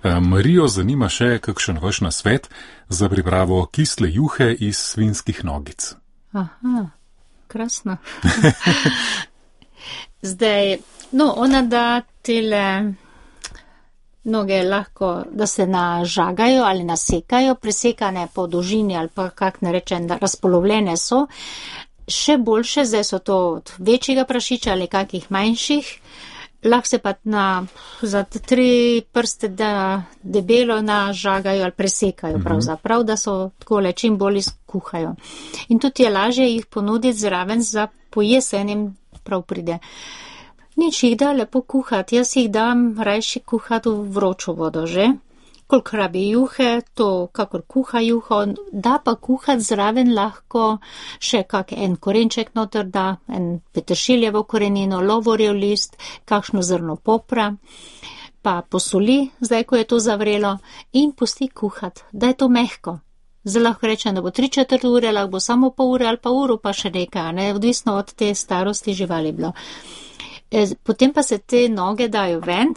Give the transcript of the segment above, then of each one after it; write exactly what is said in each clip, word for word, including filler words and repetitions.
Marijo zanima še kakšen vaš nasvet za pripravo kisle juhe iz svinjskih nogic. Aha, krasno. Zdaj, no, ona da tele noge lahko, da se nažagajo ali nasekajo, presekane po dolžini ali pa kak ne rečem, da razpolovljene so. Še boljše, zdaj so to od večjega prašiča ali kakih manjših, lahko se pa na, za tri prste da debelo nažagajo ali presekajo pravzaprav, da so takole čim bolj skuhajo. In tudi je lažje jih ponuditi zraven za pojesenim prav pride. Nič jih da lepo kuhati, jaz jih dam rajši kuhati v vročo vodo že. Koliko rabi juhe, to kakor kuha juho, da pa kuhati zraven lahko še kak en korenček noter da, en peteršiljevo korenino, lovorjev list, kakšno zrno popra, pa posoli, zdaj ko je to zavrelo, in pusti kuhati, da je to mehko. Zdaj lahko rečem, da bo tri četrt ure, lahko bo samo pol ure ali pa uro pa še nekaj, ne, odvisno od te starosti živali bilo. Potem pa se te noge dajo ven,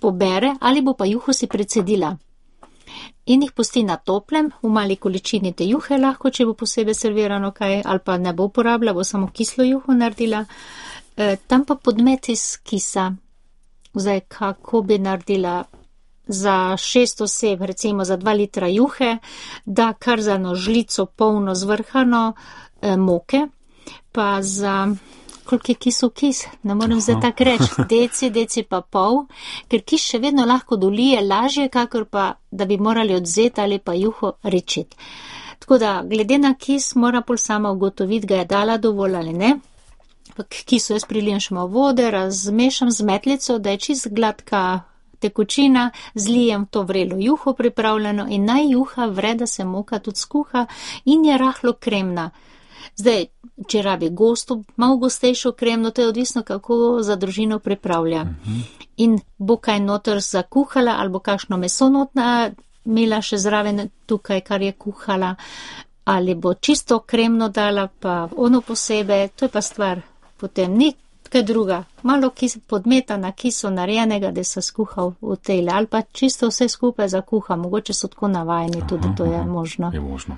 pobere ali bo pa juho si precedila. In jih pusti na toplem, v mali količini te juhe lahko, če bo posebej servirano kaj, ali pa ne bo uporabila, bo samo kislo juho naredila. E, tam pa podmet iz kisa. Zdaj, kako bi naredila za šest oseb, recimo za dva litra juhe, da kar za eno žlico polno zvrhano e, moke, pa za... koliko je kisov kis, ne morem zdaj tak reči, deci, deci pa pol, ker kis še vedno lahko dolije lažje, kakor pa, da bi morali odzeti ali pa juho rečiti. Tako da, glede na kis, mora pol sama ugotoviti, ga je dala dovolj ali ne. Pa k kisu jaz prilijem še malo vode, razmešam z metlico, da je čist gladka tekočina, zlijem to vrelo juho pripravljeno in naj juha vre, da se moka tudi skuha in je rahlo kremna. Zdaj, če rabi gosto, malo gostejšo kremno, to je odvisno, kako za družino pripravlja. Uh-huh. In bo kaj noter zakuhala, ali bo kakšno meso notna imela še zraven tukaj, kar je kuhala, ali bo čisto kremno dala, pa ono posebej, to je pa stvar potem ni kaj druga. Malo kis, podmeta na kiso narejenega, da se skuhal v tejle, ali pa čisto vse skupaj zakuha, mogoče so tako navajeni, tudi to je možno. Je možno.